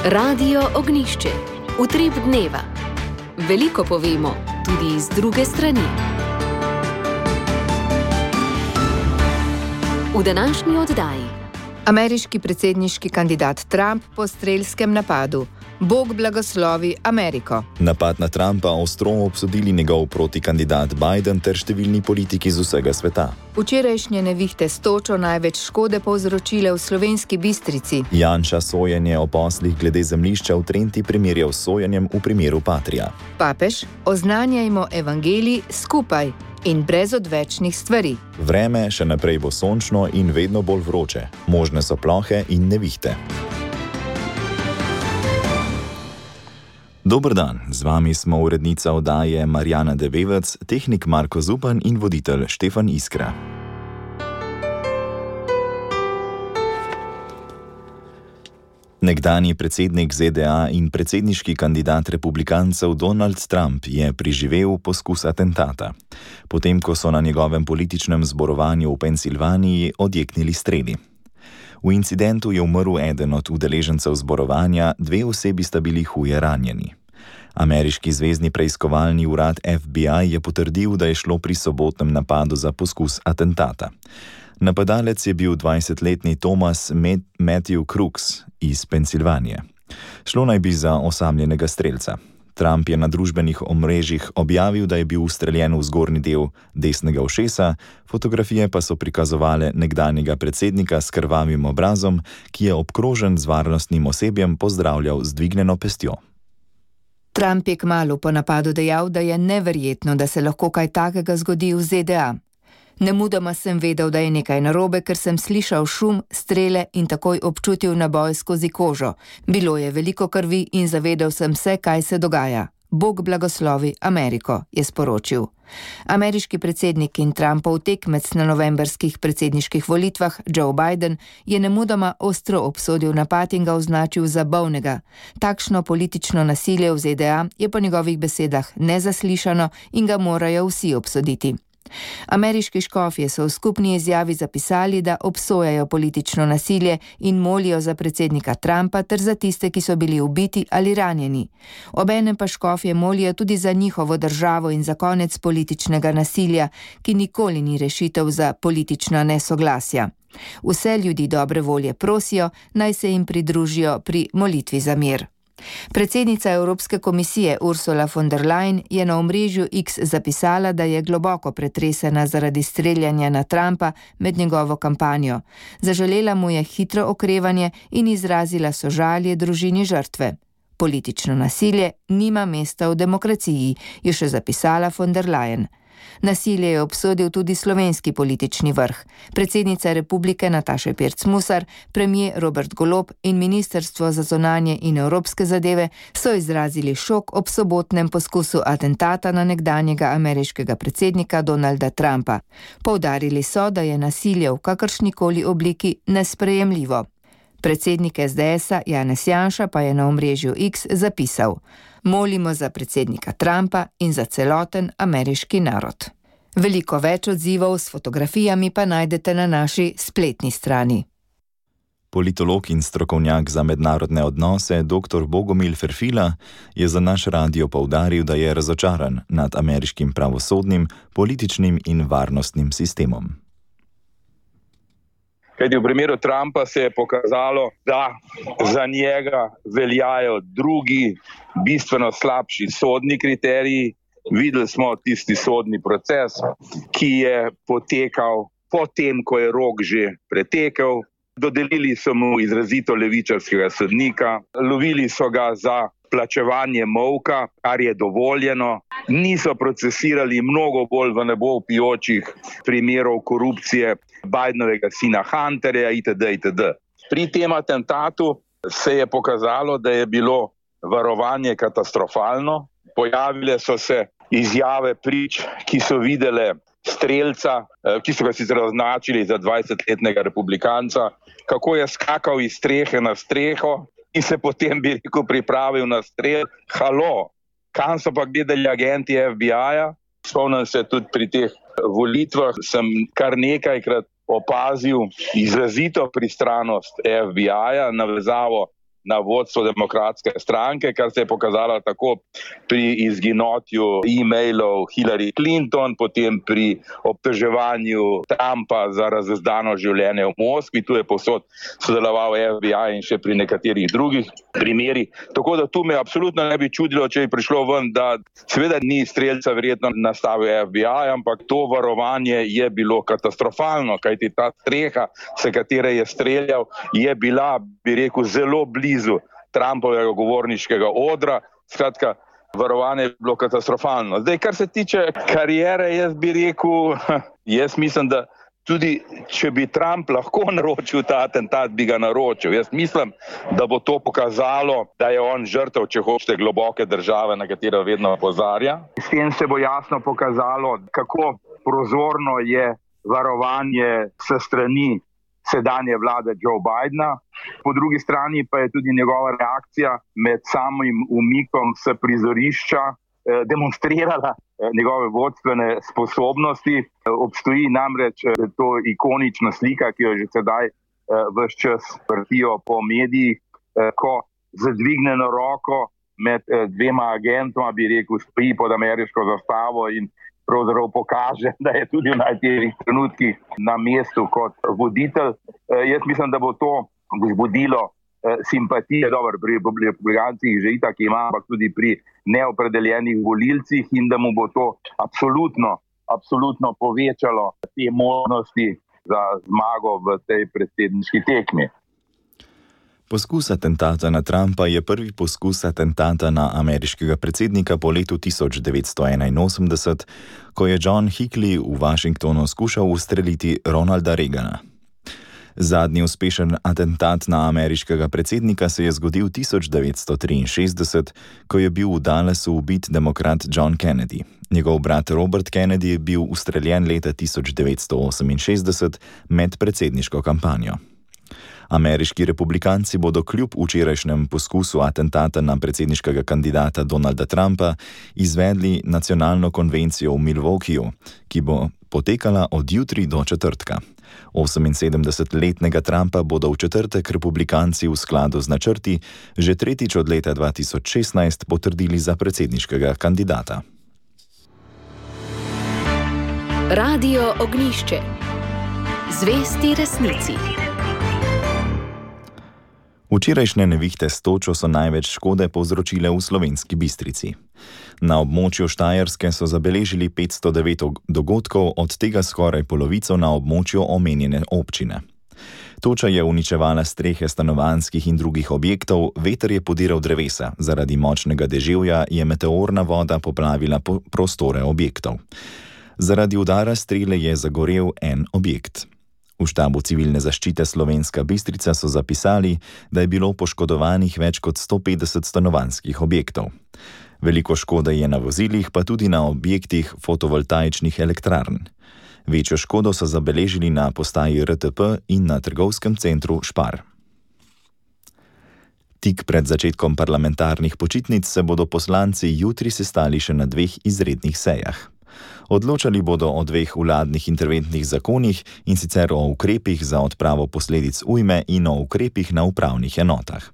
Radio Ognjišče. Utrip dneva. Veliko povemo, tudi iz druge strani. V današnji oddaji. Ameriški predsedniški kandidat Trump po strelskem napadu. Bog blagoslovi Ameriko. Napad na Trumpa ostro obsodili njegov protikandidat Biden ter številni politiki z vsega sveta. Včerajšnje nevihte s točo največ škode povzročile v Slovenski Bistrici. Janša sojenje o poslih glede zemljišča v Trenti primerjal s sojenjem v primeru Patria. Papež, oznanjajmo evangelij skupaj in brez odvečnih stvari. Vreme še naprej bo sončno in vedno bolj vroče. Možne so plohe in nevihte. Dober dan, z vami smo urednica oddaje Marjana Devevec, tehnik Marko Zupan in voditelj Štefan Iskra. Nekdanji predsednik ZDA in predsedniški kandidat republikancev Donald Trump je preživel poskus atentata, potem ko so na njegovem političnem zborovanju v Pensilvaniji odjeknili streli. V incidentu je umrl eden od udeležencev zborovanja, 2 osebi sta bili huje ranjeni. Ameriški zvezni preiskovalni urad FBI je potrdil, da je šlo pri sobotnem napadu za poskus atentata. Napadalec je bil 20-letni Thomas Matthew Crooks iz Pensilvanije. Šlo naj bi za osamljenega strelca. Trump je na družbenih omrežjih objavil, da je bil ustreljen v zgornji del desnega ušesa, fotografije pa so prikazovale nekdanjega predsednika s krvavim obrazom, ki je obkrožen z varnostnim osebjem pozdravljal z dvignjeno pestjo. Trump je kmalu po napadu dejal, da je neverjetno, da se lahko kaj takega zgodi v ZDA. Nemudoma sem vedel, da je nekaj narobe, ker sem slišal šum, strele in takoj občutil naboj skozi kožo. Bilo je veliko krvi in zavedel sem se, kaj se dogaja. Bog blagoslovi Ameriko, je sporočil. Ameriški predsednik in Trumpov tekmec na novembrskih predsedniških volitvah, Joe Biden, je nemudoma ostro obsodil napad in ga označil za bolnega. Takšno politično nasilje v ZDA je po njegovih besedah nezaslišano in ga morajo vsi obsoditi. Ameriški škofje so v skupni izjavi zapisali, da obsojajo politično nasilje in molijo za predsednika Trumpa ter za tiste, ki so bili ubiti ali ranjeni. Obenem pa škofje molijo tudi za njihovo državo in za konec političnega nasilja, ki nikoli ni rešitev za politična nesoglasja. Vse ljudi dobre volje prosijo, naj se jim pridružijo pri molitvi za mir. Predsednica Evropske komisije Ursula von der Leyen je na omrežju X zapisala, da je globoko pretresena zaradi streljanja na Trumpa med njegovo kampanjo. Zaželela mu je hitro okrevanje in izrazila sožalje družini žrtve. Politično nasilje nima mesta v demokraciji, je še zapisala von der Leyen. Nasilje je obsodil tudi slovenski politični vrh. Predsednica republike Nataša Pirc Musar, premier Robert Golob in Ministrstvo za zunanje in evropske zadeve so izrazili šok ob sobotnem poskusu atentata na nekdanjega ameriškega predsednika Donalda Trumpa. Poudarili so, da je nasilje v kakršnikoli obliki nesprejemljivo. Predsednik SDS-a Janez Janša pa je na omrežju X zapisal: molimo za predsednika Trumpa in za celoten ameriški narod. Veliko več odzivov s fotografijami pa najdete na naši spletni strani. Politolog in strokovnjak za mednarodne odnose dr. Bogomil Ferfila je za naš radio poudaril, da je razočaran nad ameriškim pravosodnim, političnim in varnostnim sistemom. Kajti v primeru Trumpa se je pokazalo, da za njega veljajo drugi, bistveno slabši sodni kriteriji. Videli smo tisti sodni proces, ki je potekal potem, ko je rok že pretekel. Dodelili so mu izrazito levičarskega sodnika, lovili so ga za plačevanje molka, kar je dovoljeno. Niso procesirali mnogo bolj v nebo vpijočih primerov korupcije Bidenovega sina Hunterja itd. Pri tem atentatu se je pokazalo, da je bilo varovanje katastrofalno. Pojavile so se izjave prič, ki so videle strelca, ki so ga sicer označili za 20-letnega republikanca, kako je skakal iz strehe na streho in se potem, bi rekel, pripravil na strel. Halo, kam so pa gledali agenti FBI-ja? Spomnim se tudi pri teh volitvah, sem kar nekajkrat opazil izrazito pristranost FBI-ja, navezavo na vodstvo Demokratske stranke, kar se je pokazalo tako pri izginotju e-mailov Hillary Clinton, potem pri obtoževanju Trumpa za razdano življenje v Moskvi, tu je povsod sodeloval FBI in še pri nekaterih drugih primerih. Tako da tu me absolutno ne bi čudilo, če bi prišlo ven, da seveda ni streljca verjetno nastavil FBI, ampak to varovanje je bilo katastrofalno, kajti ta streha, s katere je streljal, je bila, bi rekel, zelo blizu Trumpovega govorniškega odra. Skratka, varovanje je bilo katastrofalno. Zdaj, kar se tiče kariere, jaz bi rekel, jaz mislim, da tudi če bi Trump lahko naročil ta atentat, bi ga naročil. Jaz mislim, da bo to pokazalo, da je on žrtev, če hočete, globoke države, na katero vedno opozarja. S tem se bo jasno pokazalo, kako prozorno je varovanje s strani sedanje vlade Joe Bidena. Po drugi strani pa je tudi njegova reakcija med samim umikom s prizorišča demonstrirala njegove vodstvene sposobnosti. Obstoji namreč to ikonična slika, ki jo že sedaj ves čas vrtijo po medijih, ko z dvignjeno roko med dvema agentoma, bi rekel, stoji pod ameriško zastavo in pravzaprav pokaže, da je tudi v najtežjih trenutkih na mestu kot voditelj. Jaz mislim, da bo to vzbudilo simpatije, dobro, pri republikancih že itak ima, ampak tudi pri neopredeljenih volilcih in da mu bo to absolutno povečalo te možnosti za zmago v tej predsedniški tekmi. Poskus atentata na Trumpa je prvi poskus atentata na ameriškega predsednika po letu 1981, ko je John Hinckley v Washingtonu skušal ustreliti Ronalda Reagana. Zadnji uspešen atentat na ameriškega predsednika se je zgodil 1963, ko je bil v Dallasu ubit demokrat John Kennedy. Njegov brat Robert Kennedy je bil ustreljen leta 1968 med predsedniško kampanjo. Ameriški republikanci bodo kljub včerajšnjem poskusu atentata na predsedniškega kandidata Donalda Trumpa izvedli nacionalno konvencijo v Milwaukeeju, ki bo potekala od jutri do četrtka. 78-letnega Trumpa bodo v četrtek republikanci v skladu z načrti že tretjič od leta 2016 potrdili za predsedniškega kandidata. Radio Ognjišče. Zvesti resnici. Včerajšnje nevihte s točo so največ škode povzročile v Slovenski Bistrici. Na območju Štajerske so zabeležili 509 dogodkov, od tega skoraj polovico na območju omenjene občine. Toča je uničevala strehe stanovanjskih in drugih objektov, veter je podiral drevesa, zaradi močnega deževja je meteorna voda poplavila prostore objektov. Zaradi udara strele je zagorel en objekt. V štabu civilne zaščite Slovenska Bistrica so zapisali, da je bilo poškodovanih več kot 150 stanovanjskih objektov. Veliko škode je na vozilih, pa tudi na objektih fotovoltaičnih elektrarn. Večjo škodo so zabeležili na postaji RTP in na trgovskem centru Špar. Tik pred začetkom parlamentarnih počitnic se bodo poslanci jutri sestali še na 2 izrednih sejah. Odločali bodo o 2 vladnih interventnih zakonih, in sicer o ukrepih za odpravo posledic ujme in o ukrepih na upravnih enotah.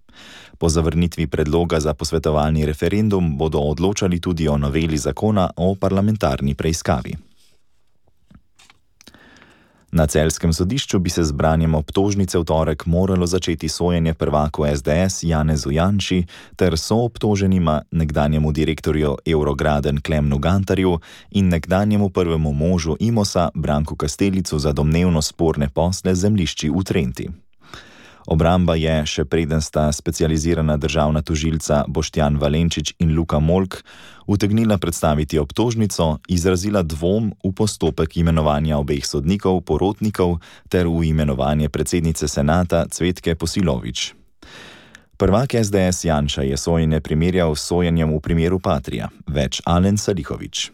Po zavrnitvi predloga za posvetovalni referendum bodo odločali tudi o noveli zakona o parlamentarni preiskavi. Na celjskem sodišču bi se z branjem obtožnice v torek moralo začeti sojenje prvaku SDS Janezu Janši ter soobtoženima nekdanjemu direktorju Eurograden Klemnu Gantarju in nekdanjemu prvemu možu Imosa Branku Kastelicu za domnevno sporne posle zemljišči v Trenti. Obramba je, še preden sta specializirana državna tožilca Boštjan Valenčič in Luka Molk utegnila predstaviti obtožnico, izrazila dvom v postopek imenovanja obeh sodnikov, porotnikov ter v imenovanje predsednice senata Cvetke Posilović. Prvak SDS Janša je sojenje primerjal s sojenjem v primeru Patria, več Alen Salihović.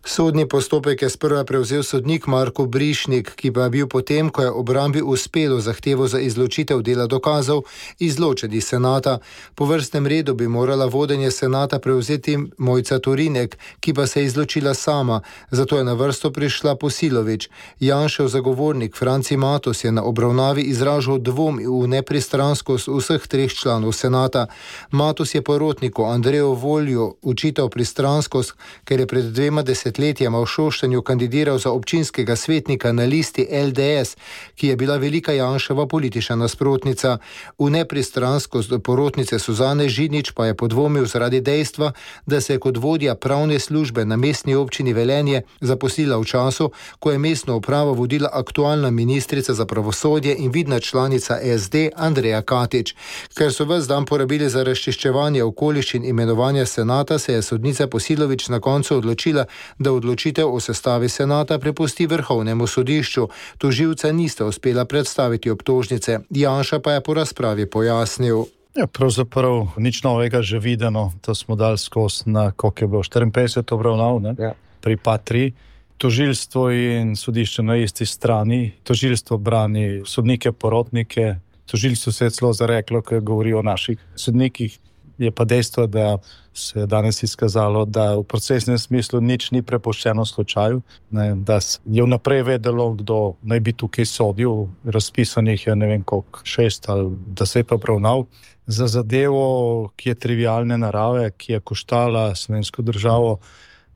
Sodni postopek je sprva prevzel sodnik Marko Brišnik, ki pa je bil potem, ko je obrambi uspelo zahtevo za izločitev dela dokazov, izločen iz senata. Po vrstnem redu bi morala vodenje senata prevzeti Mojca Torinek, ki pa se je izločila sama, zato je na vrsto prišla Posilović. Janšev zagovornik Franci Matos je na obravnavi izražal dvom v nepristranskost vseh treh članov senata. Matos je porotniku Andreju Volju učital pristranskost, ker je pred 2 desetletjema v Šoštanju kandidiral za občinskega svetnika na listi LDS, ki je bila velika Janševa politična nasprotnica. V nepristranskost porotnice Suzane Židnič pa je podvomil zaradi dejstva, da se je kot vodja pravne službe na mestni občini Velenje zaposlila v času, ko je mestno upravo vodila aktualna ministrica za pravosodje in vidna članica SD Andreja Katič. Ker so ves dan porabili za razčiščevanje okoliščin imenovanja senata, se je sodnica Posilović na koncu odločila, da odločitev o sestavi senata prepusti Vrhovnemu sodišču. Tožilca nista uspela predstaviti obtožnice. Janša pa je po razpravi pojasnil. Ja, pravzaprav nič novega že videno. To smo dali skozi na, koliko je bilo, 54 obravnav, ne? Ja. Pri Patriji. Tožilstvo in sodišče na isti strani. Tožilstvo brani sodnike, porotnike. Tožilstvo se je celo zareklo, ko govori o naših sodnikih. Je pa dejstvo, da se je danes izkazalo, da v procesnem smislu nič ni prepuščeno slučaju, ne, da je vnaprej vedelo, kdo naj bi tukaj sodil. Razpisanih je ne vem koliko, 6 ali 10 obravnav. Za zadevo, ki je trivialne narave, ki je koštala slovensko državo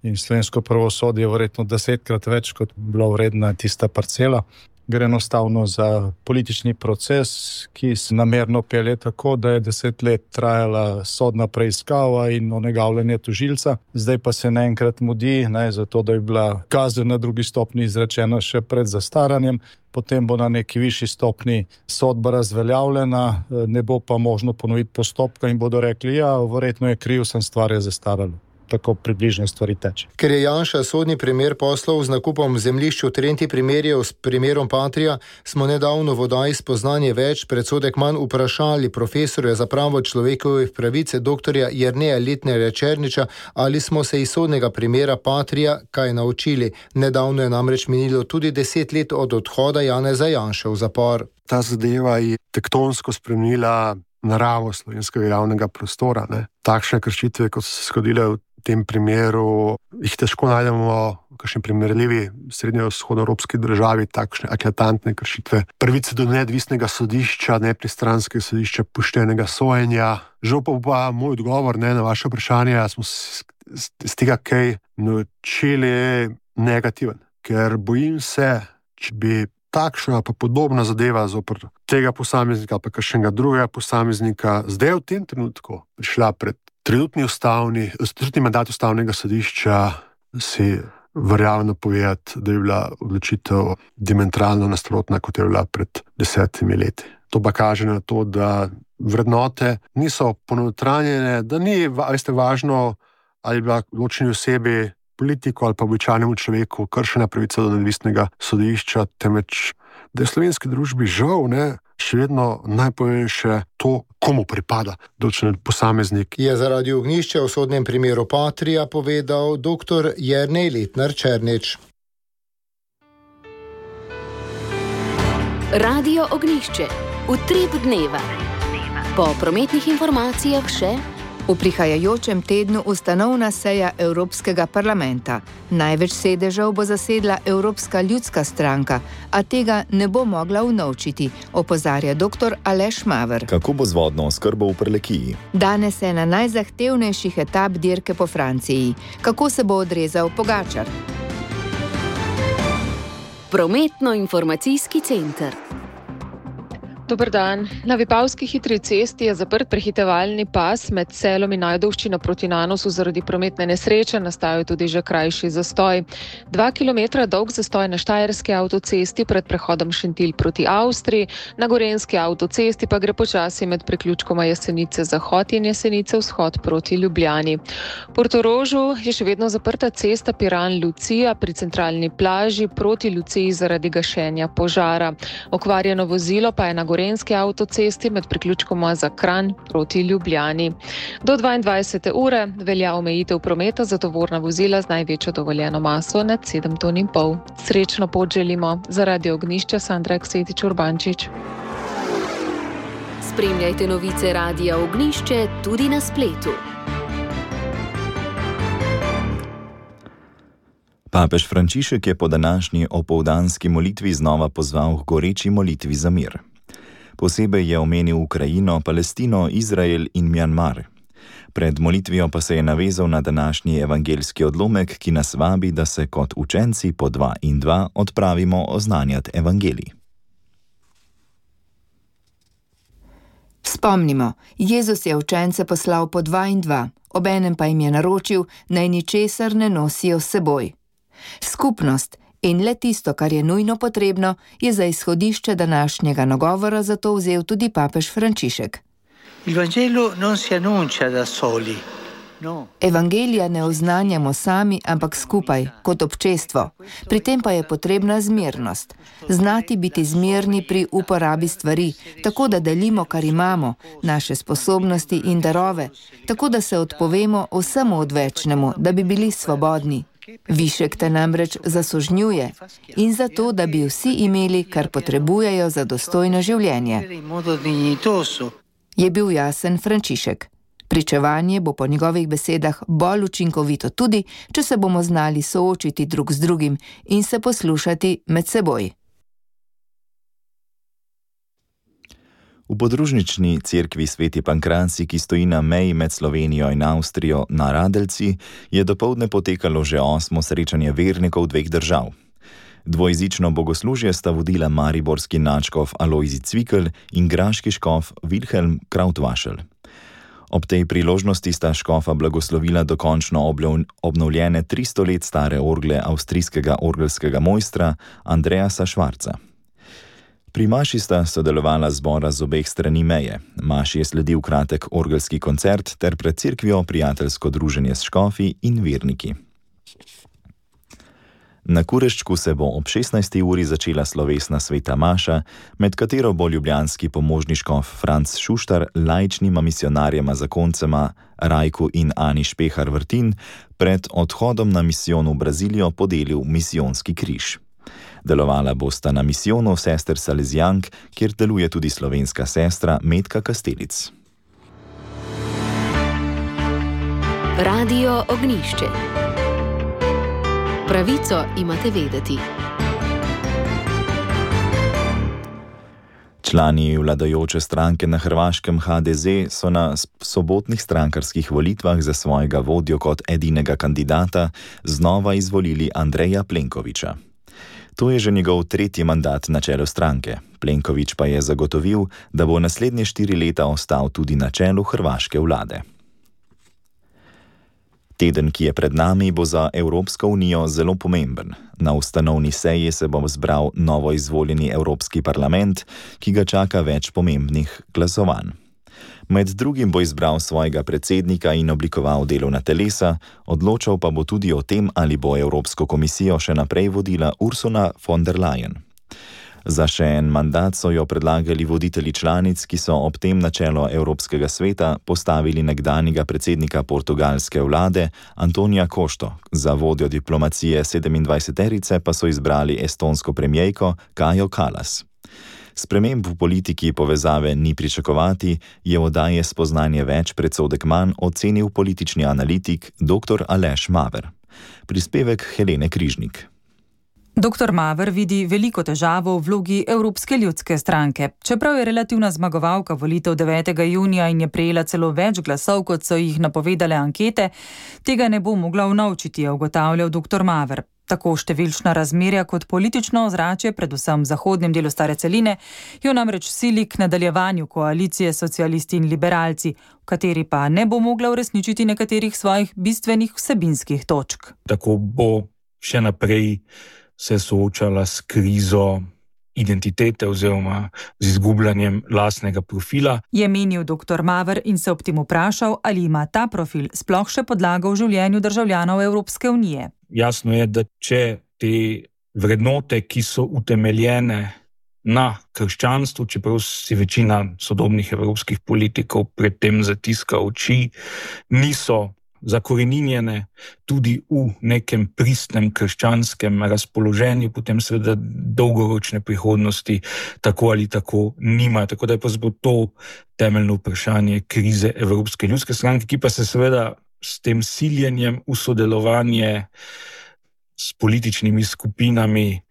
in slovensko pravosodje verjetno 10-krat več, kot bila vredna tista parcela. Gre enostavno za politični proces, ki se namerno pelje tako, da je 10 let trajala sodna preiskava in onegavljanje tožilca. Zdaj pa se naenkrat mudi, zato da je bila kazen na drugi stopnji izrečena še pred zastaranjem, potem bo na neki višji stopnji sodba razveljavljena, ne bo pa možno ponoviti postopka in bodo rekli, ja, verjetno je kriv, sem stvar je zastarala. Tako približno stvari teče. Ker je Janša sodni primer poslov z nakupom zemljišč v Trenti primerjal s primerom Patrija, smo nedavno v oddaji Spoznanje več predsodek manj vprašali profesorja za pravo človekovih pravic dr. Jerneja Letnerja Černiča, ali smo se iz sodnega primera Patrija kaj naučili. Nedavno je namreč minilo tudi 10 let od odhoda Janeza Janše v zapor. Ta zadeva je tektonsko spremenila naravo slovenskega javnega prostora. Ne? Takšne kršitve, kot so se zgodile v tem primeru, jih težko najdemo v kakšni primerljivi srednjevzhodnoevropski državi, takšne eklatantne kršitve pravice do neodvisnega sodišča, nepristranskega sodišča, poštenega sojenja. Žal pa moj odgovor na vaše vprašanje, smo z tega kaj naučili negativen, ker bojim se, če bi takšna pa podobna zadeva zoper tega posameznika pa kakšnega drugega posameznika zdaj v tem trenutku prišla pred trenutni mandat ustavnega sodišča, si verjamem povedati, da je bila odločitev diametralno nasprotna, kot je bila pred 10 leti. To pa kaže na to, da vrednote niso ponotranjene, da ni važno, ali je bila odločeni osebi, politiku ali pa običajnemu človeku kršena pravica do neodvisnega sodišča, temveč da je v slovenski družbi žal še vedno najpomembnejše to, komu pripada določen posameznik. Je zaradi ognjišča v sodnem primeru Patrija povedal dr. Jernej Letner Černič. Radio Ognjišče. Utrip dneva. Po prometnih informacijah še v prihajajočem tednu ustanovna seja Evropskega parlamenta. Največ sedežev bo zasedla Evropska ljudska stranka, a tega ne bo mogla unovčiti, opozarja dr. Aleš Maver. Kako bo z vodno oskrbo v Prlekiji? Danes je na najzahtevnejših etap dirke po Franciji. Kako se bo odrezal Pogačar? Prometno-informacijski center. Dober dan. Na Vipavski hitri cesti je zaprt prehitevalni pas med Selom in Ajdovščino proti Nanosu zaradi prometne nesreče, nastal je tudi že krajši zastoj. 2 kilometra dolg zastoj na Štajerski avtocesti pred prehodom Šentilj proti Avstriji, na Gorenjski avtocesti pa gre počasi med priključkoma Jesenice Zahod in Jesenice Vzhod proti Ljubljani. V Portorožu je še vedno zaprta cesta Piran-Lucija pri centralni plaži proti Luciji zaradi gašenja požara. Okvarjeno vozilo pa je na gorenski avtocesti med priključkoma za Kranj proti Ljubljani. Do 22. ure velja omejitev prometa za tovorna vozila z največjo dovoljeno maso nad 7,5 ton. Srečno pot želimo. Za Radio Ognjišče Sandra Aksetič Urbančič. Spremljajte novice Radia Ognjišče tudi na spletu. Papež Frančišek je po današnji opoldanski molitvi znova pozval k goreči molitvi za mir. Posebej je omenil Ukrajino, Palestino, Izrael in Mjanmar. Pred molitvijo pa se je navezal na današnji evangeljski odlomek, ki nas vabi, da se kot učenci po 2 in 2 odpravimo oznanjati evangelij. Spomnimo, Jezus je učence poslal po 2 in 2, obenem pa jim je naročil, naj ničesar ne nosijo s seboj. Skupnost in le tisto, kar je nujno potrebno, je za izhodišče današnjega nagovora zato vzel tudi papež Frančišek. Evangelija ne oznanjamo sami, ampak skupaj, kot občestvo. Pri tem pa je potrebna zmernost. Znati biti zmerni pri uporabi stvari, tako da delimo, kar imamo, naše sposobnosti in darove, tako da se odpovemo vsemu odvečnemu, da bi bili svobodni. Višek te namreč zasužnjuje in zato, da bi vsi imeli, kar potrebujejo za dostojno življenje. Je bil jasen Frančišek. Pričevanje bo po njegovih besedah bolj učinkovito tudi, če se bomo znali soočiti drug z drugim in se poslušati med seboj. V podružnični cerkvi Sveti Pankracij, ki stoji na meji med Slovenijo in Avstrijo na Radeljci, je dopoldne potekalo že 8. srečanje vernikov 2 držav. Dvojezično bogoslužje sta vodila mariborski nadškof Alojzij Cvikl in graški škof Wilhelm Krautvašel. Ob tej priložnosti sta škofa blagoslovila dokončno obnovljene 300 let stare orgle avstrijskega orgelskega mojstra Andreasa Schwarza. Pri maši sta sodelovala zbora z obeh strani meje. Maši je sledil kratek orgelski koncert ter pred cerkvijo prijateljsko druženje s škofi in verniki. Na Kureščku se bo ob 16. uri začela slovesna sveta maša, med katero bo ljubljanski pomožni škof Franc Šuštar laičnima misionarjema zakoncema Rajku in Ani Špehar Vrtin pred odhodom na misijon v Brazilijo podelil misijonski križ. Delovala bosta na misijonu sester Salezijank, kjer deluje tudi slovenska sestra Metka Kastelic. Radio Ognjišče. Pravico imate vedeti. Člani vladajoče stranke na Hrvaškem HDZ so na sobotnih strankarskih volitvah za svojega vodjo kot edinega kandidata znova izvolili Andreja Plenkovića. To je že njegov 3. mandat na čelu stranke. Plenković pa je zagotovil, da bo naslednje 4 leta ostal tudi na čelu hrvaške vlade. Teden, ki je pred nami, bo za Evropsko unijo zelo pomemben. Na ustanovni seji se bo zbral novo izvoljeni Evropski parlament, ki ga čaka več pomembnih glasovanj. Med drugim bo izbral svojega predsednika in oblikoval delovna telesa, odločal pa bo tudi o tem, ali bo Evropsko komisijo še naprej vodila Ursula von der Leyen. Za še en mandat so jo predlagali voditelji članic, ki so ob tem na čelo Evropskega sveta postavili nekdanjega predsednika portugalske vlade Antonija Košto, za vodjo diplomacije 27-terice pa so izbrali estonsko premijejko Kajo Kallas. Sprememb v politiki povezave ni pričakovati, je oddaje Spoznanje več predsodek manj ocenil politični analitik dr. Aleš Maver. Prispevek Helene Križnik. Dr. Maver vidi veliko težavo v vlogi Evropske ljudske stranke. Čeprav je relativna zmagovalka volitev 9. junija in je prejela celo več glasov, kot so jih napovedale ankete, tega ne bo mogla unovčiti, je ugotavljal dr. Maver. Tako številčna razmerja kot politično ozračje, predvsem v zahodnem delu stare celine, jo namreč sili k nadaljevanju koalicije socialisti in liberalci, v kateri pa ne bo mogla uresničiti nekaterih svojih bistvenih vsebinskih točk. Tako bo še naprej se soočala s krizo identitete oziroma z izgubljanjem lastnega profila. Je menil dr. Maver in se ob tem vprašal, ali ima ta profil sploh še podlago v življenju državljanov Evropske unije. Jasno je, da če te vrednote, ki so utemeljene na krščanstvu, čeprav si večina sodobnih evropskih politikov predtem zatiska oči, niso zakoreninjene tudi v nekem pristnem krščanskem razpoloženju, potem seveda dolgoročne prihodnosti tako ali tako nimajo. Tako da je pa to temeljno vprašanje krize Evropske ljudske stranke, ki pa se seveda s tem siljenjem v sodelovanje s političnimi skupinami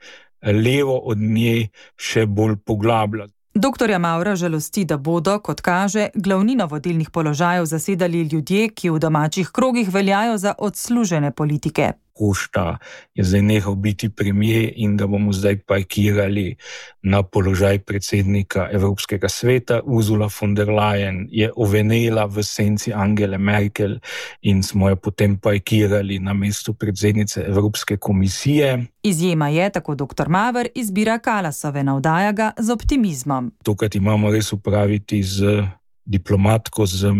levo od nje še bolj poglablja. Doktorja Mavra žalosti, da bodo, kot kaže, glavnino vodilnih položajev zasedali ljudje, ki v domačih krogih veljajo za odslužene politike. Košta je zdaj nehal biti premier in ga bomo zdaj parkirali na položaj predsednika Evropskega sveta. Ursula von der Leyen je ovenela v senci Angele Merkel in smo jo potem parkirali na mesto predsednice Evropske komisije. Izjema je, tako dr. Maver, izbira Kalasove, navdaja ga z optimizmom. Tokrat imamo res upraviti z diplomatko, z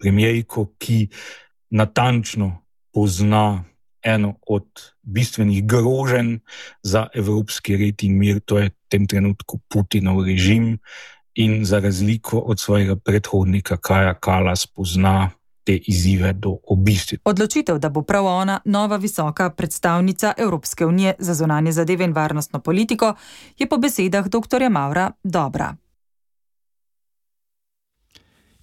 premierko, ki natančno pozna eno od bistvenih groženj za evropski red in mir, to je v tem trenutku Putinov režim, in za razliko od svojega predhodnika Kaja Kallas pozna te izzive do obisti. Odločitev, da bo prav ona nova visoka predstavnica Evropske unije za zunanje zadeve in varnostno politiko, je po besedah dr. Mavra dobra.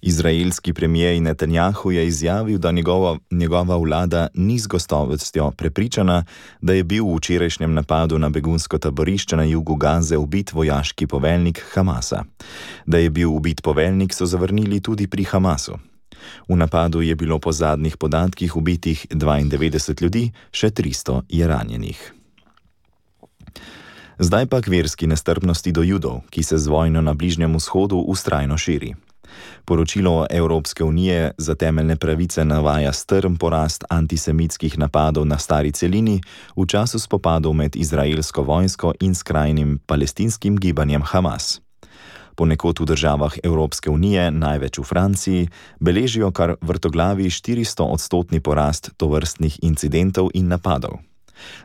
Izraelski premijer Netanjahu je izjavil, da njegova vlada ni z gotovostjo prepričana, da je bil v včerajšnjem napadu na begunsko taborišče na jugu Gaze ubit vojaški poveljnik Hamasa. Da je bil ubit poveljnik, so zavrnili tudi pri Hamasu. V napadu je bilo po zadnjih podatkih ubitih 92 ljudi, še 300 je ranjenih. Zdaj pa k verski nestrpnosti do Judov, ki se z vojno na Bližnjem vzhodu vztrajno širi. Poročilo Evropske unije za temeljne pravice navaja strm porast antisemitskih napadov na stari celini v času spopadov med izraelsko vojsko in skrajnim palestinskim gibanjem Hamas. Ponekod v državah Evropske unije, največ v Franciji, beležijo kar vrtoglavi 400% porast tovrstnih incidentov in napadov.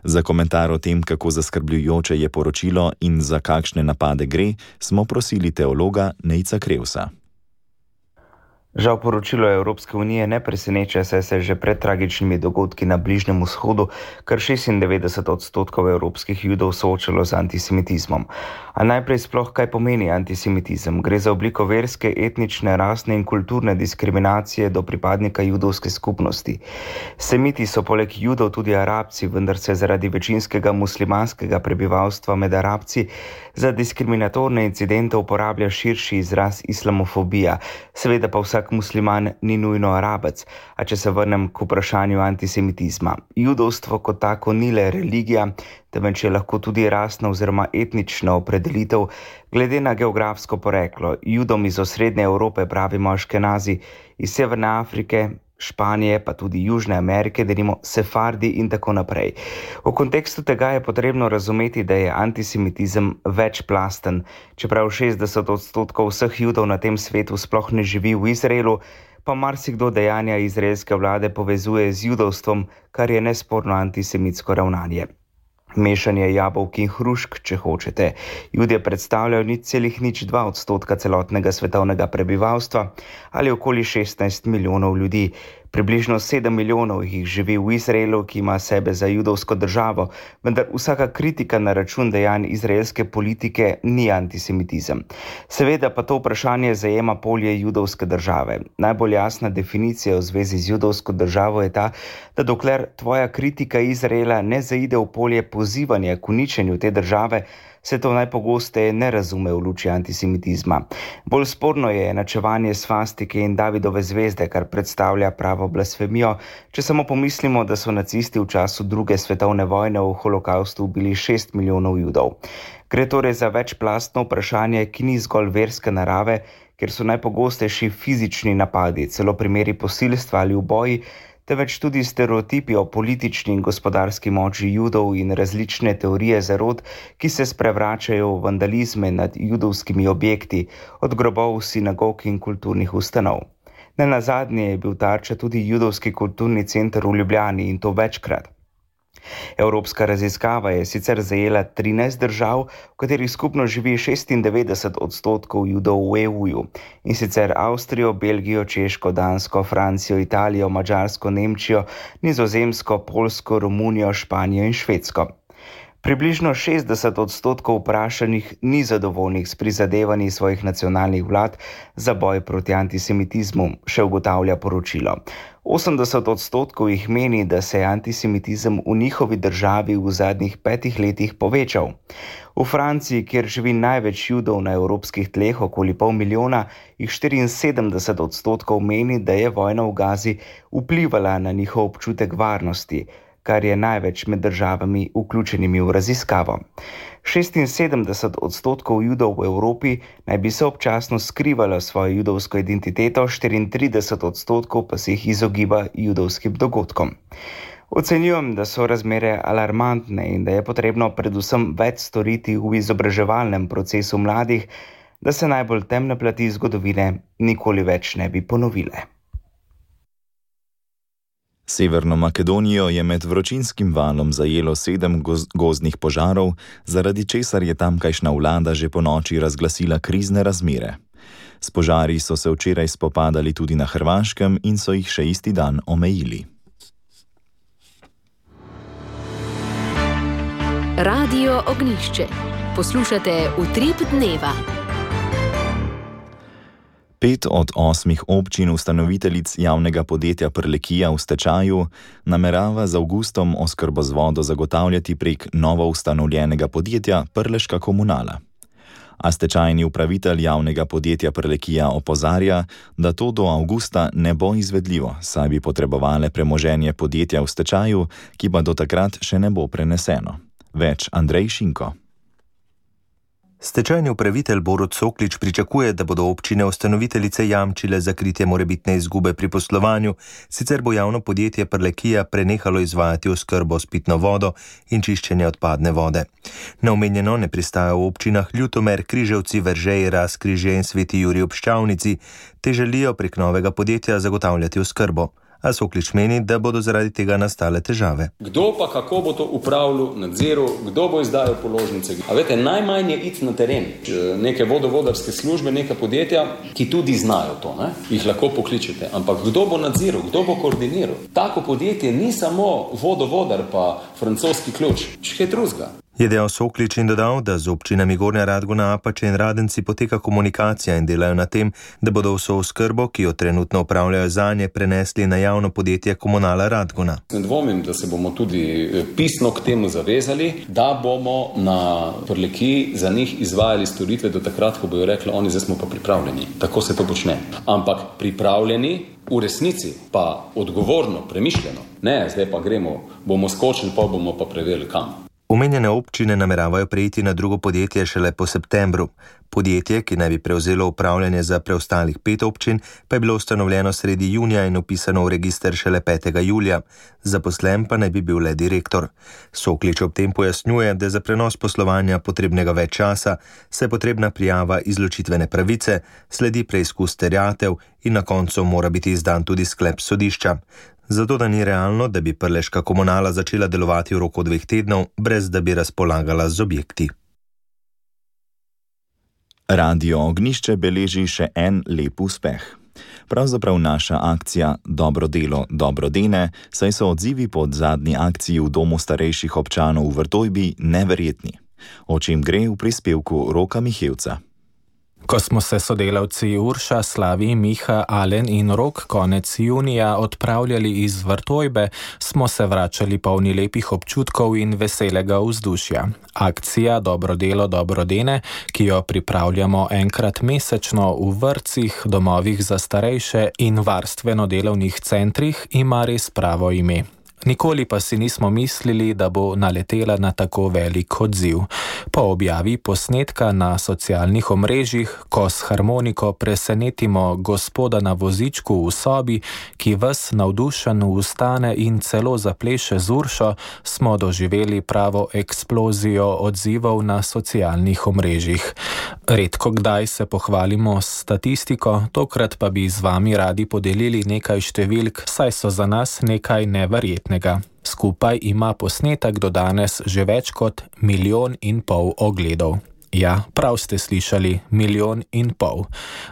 Za komentar o tem, kako zaskrbljujoče je poročilo in za kakšne napade gre, smo prosili teologa Nejca Krevsa. Žal poročilo Evropske unije ne preseneča, saj se že pred tragičnimi dogodki na Bližnjem vzhodu kar 96% evropskih Judov soočalo z antisemitizmom. A najprej sploh kaj pomeni antisemitizem? Gre za obliko verske, etnične, rasne in kulturne diskriminacije do pripadnika judovske skupnosti. Semiti so poleg Judov tudi Arabci, vendar se zaradi večinskega muslimanskega prebivalstva med Arabci za diskriminatorne incidente uporablja širši izraz islamofobija. Seveda pa vsak musliman ni nujno Arabec, a če se vrnem k vprašanju antisemitizma. Judovstvo kot tako ni le religija, temveč je lahko tudi rasna oziroma etnična opredelitev glede na geografsko poreklo. Judom iz osrednje Evrope pravimo Aškenazi, iz Severne Afrike, Španije, pa tudi Južne Amerike, denimo Sefardi in tako naprej. V kontekstu tega je potrebno razumeti, da je antisemitizem večplasten. Čeprav 60% vseh Judov na tem svetu sploh ne živi v Izraelu, pa marsikdo dejanja izraelske vlade povezuje z judovstvom, kar je nesporno antisemitsko ravnanje. Mešanje jabolk in hrušk, če hočete. Judje predstavljajo 0,02% celotnega svetovnega prebivalstva ali okoli 16 milijonov ljudi. Približno 7 milijonov jih živi v Izraelu, ki ima sebe za judovsko državo, vendar vsaka kritika na račun dejanj izraelske politike ni antisemitizem. Seveda pa to vprašanje zajema polje judovske države. Najbolj jasna definicija v zvezi z judovsko državo je ta, da dokler tvoja kritika Izraela ne zaide v polje pozivanja k uničenju te države, se to najpogosteje ne razume v luči antisemitizma. Bolj sporno je enačevanje svastike in Davidove zvezde, kar predstavlja pravo blasfemijo, če samo pomislimo, da so nacisti v času druge svetovne vojne v holokaustu ubili 6 milijonov Judov. Gre torej za večplastno vprašanje, ki ni zgolj verske narave, ker so najpogostejši fizični napadi, celo primeri posilstva ali uboji, temveč tudi stereotipi o politični in gospodarski moči Judov in različne teorije zarot, ki se sprevračajo v vandalizme nad judovskimi objekti, od grobov, sinagog in kulturnih ustanov. Nenazadnje je bil tarča tudi judovski kulturni center v Ljubljani in to večkrat. Evropska raziskava je sicer zajela 13 držav, v katerih skupno živi 96% Judov v EU-ju, in sicer Avstrijo, Belgijo, Češko, Dansko, Francijo, Italijo, Madžarsko, Nemčijo, Nizozemsko, Poljsko, Romunijo, Španijo in Švedsko. Približno 60% vprašanih ni zadovoljnih s prizadevanji svojih nacionalnih vlad za boj proti antisemitizmu, še ugotavlja poročilo. 80% jih meni, da se je antisemitizem v njihovi državi v zadnjih 5 letih povečal. V Franciji, kjer živi največ Judov na evropskih tleh, okoli 500 000, jih 74% meni, da je vojna v Gazi vplivala na njihov občutek varnosti, kar je največ med državami vključenimi v raziskavo. 76% Judov v Evropi naj bi se občasno skrivalo svojo judovsko identiteto, 34% pa se jih izogiba judovskim dogodkom. Ocenjujem, da so razmere alarmantne in da je potrebno predvsem več storiti v izobraževalnem procesu mladih, da se najbolj temne plati zgodovine nikoli več ne bi ponovile. Severno Makedonijo je med vročinskim valom zajelo 7 gozdnih požarov, zaradi česar je tamkajšnja vlada že ponoči razglasila krizne razmere. S požari so se včeraj spopadali tudi na Hrvaškem in so jih še isti dan omejili. Radio Ognjišče. Poslušate Utrip dneva. 5 od 8 občin ustanoviteljic javnega podjetja Prlekija v stečaju namerava z avgustom oskrbo z vodo zagotavljati prek novo ustanovljenega podjetja Prleška komunala. A stečajni upravitelj javnega podjetja Prlekija opozarja, da to do avgusta ne bo izvedljivo, saj bi potrebovale premoženje podjetja v stečaju, ki pa do takrat še ne bo preneseno. Več Andrej Šinko. Stečajni upravitelj Borut Soklič pričakuje, da bodo občine ustanoviteljice jamčile za kritje morebitne izgube pri poslovanju, sicer bo javno podjetje Prlekija prenehalo izvajati oskrbo s pitno vodo in čiščenje odpadne vode. Na omenjeno ne pristajajo v občinah Ljutomer, Križevci, Veržej, Razkrižje in Sveti Jurij ob Ščavnici, te želijo prek novega podjetja zagotavljati oskrbo. A Soklič meni, da bodo zaradi tega nastale težave. Kdo pa kako bo to upravljal, nadziral, kdo bo izdajal položnice? A veste, najmanj je iti na teren. Neke vodovodarske službe, neka podjetja, ki tudi znajo to, ne? Jih lahko pokličete. Ampak kdo bo nadziral, kdo bo koordiniral? Tako podjetje ni samo vodovodar pa francoski ključ, še drugega. Je dejal Soklič in dodal, da z občinami Gornja Radgona, Apače in Radenci poteka komunikacija in delajo na tem, da bodo vso oskrbo, ki jo trenutno upravljajo zanje, prenesli na javno podjetje Komunala Radgona. Ne dvomim, da se bomo tudi pisno k temu zavezali, da bomo na Prlekiji za njih izvajali storitve do takrat, ko bojo rekli, oni zdaj smo pa pripravljeni. Tako se to počne. Ampak pripravljeni v resnici pa odgovorno, premišljeno. Ne, zdaj pa gremo, bomo skočili, pa bomo pa preverili kam. Omenjene občine nameravajo prejiti na drugo podjetje šele po septembru. Podjetje, ki naj bi prevzelo upravljanje za preostalih 5 občin, pa je bilo ustanovljeno sredi junija in upisano v register šele 5. julija. Zaposlen pa naj bi bil le direktor. Soklič ob tem pojasnjuje, da je za prenos poslovanja potrebnega več časa, saj je potrebna prijava izločitvene pravice, sledi preizkus terjatev in na koncu mora biti izdan tudi sklep sodišča. Zato da ni realno, da bi Prleška komunala začela delovati v roku 2 tednov, brez da bi razpolagala z objekti. Radio Ognjišče beleži še en lep uspeh. Pravzaprav naša akcija Dobro delo, dobro dene, saj so odzivi pod zadnji akciji v Domu starejših občanov v Vrtojbi neverjetni. O čem gre v prispevku Roka Mihevca. Ko smo se sodelavci Urša, Slavi, Miha, Alen in Rok konec junija odpravljali iz Vrtojbe, smo se vračali polni lepih občutkov in veselega vzdušja. Akcija Dobro delo, dobro dene, ki jo pripravljamo enkrat mesečno v vrtcih, domovih za starejše in varstveno-delovnih centrih, ima res pravo ime. Nikoli pa si nismo mislili, da bo naletela na tako velik odziv. Po objavi posnetka na socialnih omrežjih, ko s harmoniko presenetimo gospoda na vozičku v sobi, ki ves navdušen vstane in celo zapleše z Uršo, smo doživeli pravo eksplozijo odzivov na socialnih omrežjih. Redko kdaj se pohvalimo s statistiko, tokrat pa bi z vami radi podelili nekaj številk, saj so za nas nekaj neverjetnega. prijetnega. Skupaj ima posnetek do danes že več kot 1,5 milijona ogledov. Ja, prav ste slišali, 1,5 milijona.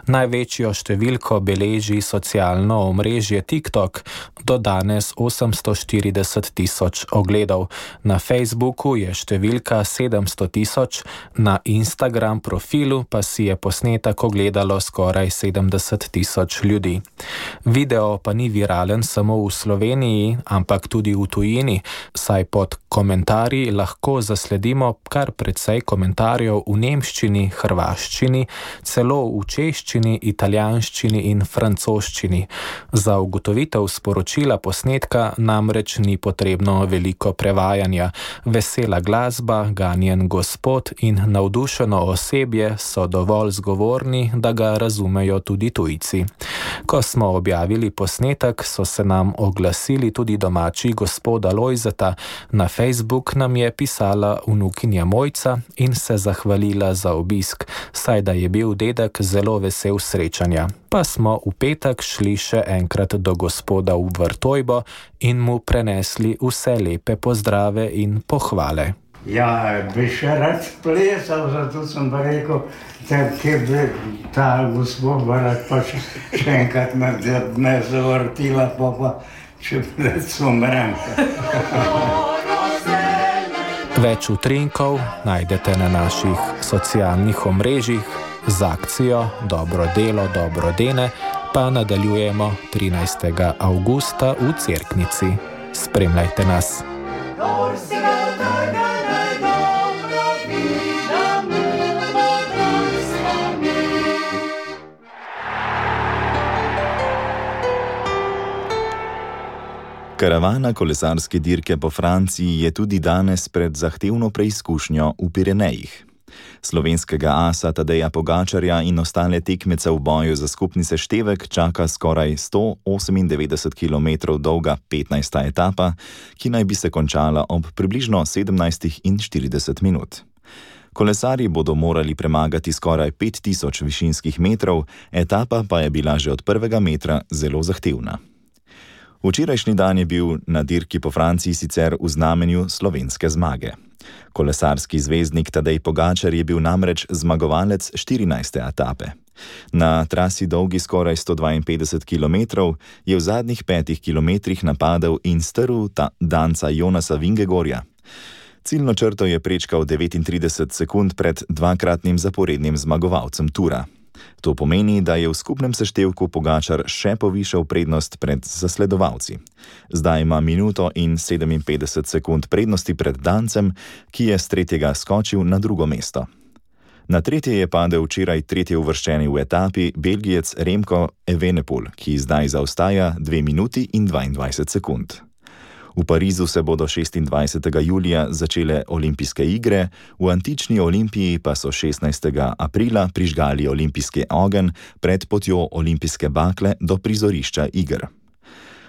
Največjo številko beleži socialno omrežje TikTok, do danes 840 tisoč ogledov. Na Facebooku je številka 700 tisoč, na Instagram profilu pa si je posnetek ogledalo skoraj 70 tisoč ljudi. Video pa ni viralen samo v Sloveniji, ampak tudi v tujini, saj pod komentarji lahko zasledimo kar precej komentarjev v nemščini, hrvaščini, celo v češčini, italijanščini in francoščini. Za ugotovitev sporočila posnetka namreč ni potrebno veliko prevajanja. Vesela glasba, ganjen gospod in navdušeno osebje so dovolj zgovorni, da ga razumejo tudi tujci. Ko smo objavili posnetek, so se nam oglasili tudi domači gospoda Lojzeta. Na Facebook nam je pisala vnukinja Mojca in se zahvalila za obisk, saj da je bil dedek zelo vesel srečanja. Pa smo v petek šli še enkrat do gospoda v Vrtojbo in mu prenesli vse lepe pozdrave in pohvale. Ja, bi še rad plesal, zato sem pa rekel, kje bi ta gospod rad pa še enkrat me zavrtila, pa če umrem. Več utrinkov najdete na naših socialnih omrežjih. Z akcijo Dobro delo, dobro dene pa nadaljujemo 13. avgusta v Cerknici. Spremljajte nas. Karavana kolesarske dirke po Franciji je tudi danes pred zahtevno preizkušnjo v Pirenejih. Slovenskega asa Tadeja Pogačarja in ostale tekmece v boju za skupni seštevek čaka skoraj 198 km dolga 15. etapa, ki naj bi se končala ob približno 17:40 minut. Kolesarji bodo morali premagati skoraj 5000 višinskih metrov, etapa pa je bila že od prvega metra zelo zahtevna. Včerajšnji dan je bil na dirki po Franciji sicer v znamenju slovenske zmage. Kolesarski zvezdnik Tadej Pogačar je bil namreč zmagovalec 14. etape. Na trasi dolgi skoraj 152 km je v zadnjih 5 kilometrih napadel in strl danca Jonasa Vingegorja. Ciljno črto je prečkal 39 sekund pred dvakratnim zaporednim zmagovalcem Tura. To pomeni, da je v skupnem seštevku Pogačar še povišal prednost pred zasledovalci. Zdaj ima minuto in 57 sekund prednosti pred dancem, ki je s tretjega skočil na drugo mesto. Na tretje je padel včeraj tretji uvrščeni v etapi Belgijec Remco Evenepoel, ki zdaj zaostaja 2 minuti in 22 sekund. V Parizu se bodo 26. julija začele olimpijske igre, v antični Olimpiji pa so 16. aprila prižgali olimpijski ogenj pred potjo olimpijske bakle do prizorišča iger.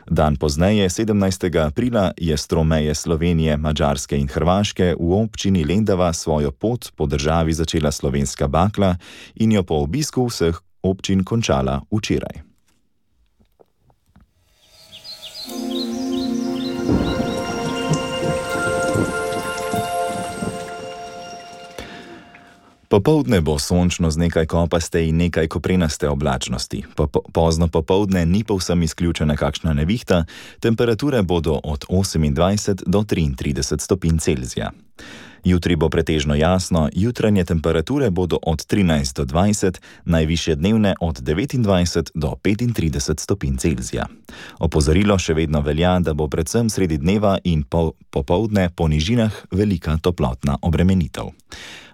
Dan pozneje, 17. aprila, je s tromeje Slovenije, Madžarske in Hrvaške v občini Lendava svojo pot po državi začela slovenska bakla in jo po obisku vseh občin končala včeraj. Popoldne bo sončno z nekaj kopaste in nekaj koprenaste oblačnosti. Pozno popoldne ni povsem izključena kakšna nevihta, temperature bodo od 28 do 33 stopinj Celzija. Jutri bo pretežno jasno, jutranje temperature bodo od 13 do 20, najvišje dnevne od 29 do 35 stopinj Celzija. Opozorilo še vedno velja, da bo predvsem sredi dneva in popoldne po nižinah velika toplotna obremenitev.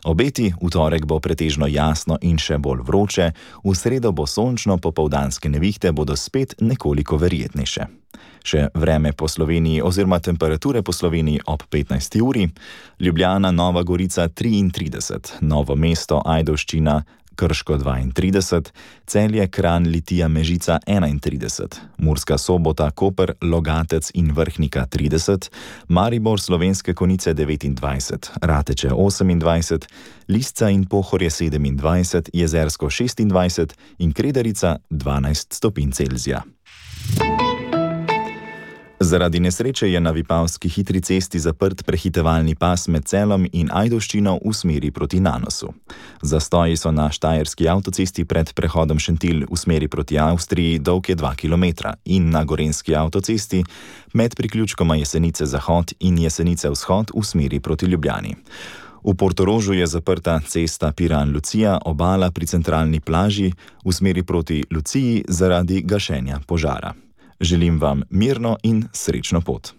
Obeti, v torek bo pretežno jasno in še bolj vroče, v sredo bo sončno, popoldanske nevihte bodo spet nekoliko verjetnejše. Še vreme po Sloveniji oziroma temperature po Sloveniji ob 15. uri, Ljubljana, Nova Gorica 33, Novo mesto, Ajdovščina, Krško 32, Celje, Kranj, Litija, Mežica 31, Murska Sobota, Koper, Logatec in Vrhnika 30, Maribor, Slovenske Konjice 29, Rateče 28, Lisca in Pohorje 27, Jezersko 26 in Kredarica 12 stopinj Celzija. Zaradi nesreče je na Vipavski hitri cesti zaprt prehitevalni pas med Celom in Ajdovščino v smeri proti Nanosu. Zastoji so na Štajerski avtocesti pred prehodom Šentilj v smeri proti Avstriji dolg je 2 km in na Gorenjski avtocesti med priključkoma Jesenice Zahod in Jesenice Vzhod v smeri proti Ljubljani. V Portorožu je zaprta cesta Piran-Lucija, obala pri centralni plaži v smeri proti Luciji zaradi gašenja požara. Želim vam mirno in srečno pot.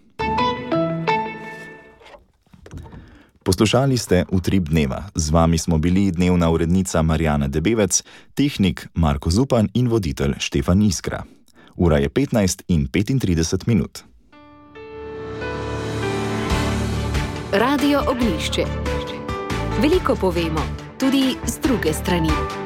Poslušali ste Utrip dneva. Z vami smo bili dnevna urednica Marjana Debevec, tehnik Marko Zupan in voditelj Štefan Iskra. Ura je 15:35. Radio Oglišče. Veliko povemo, tudi z druge strani.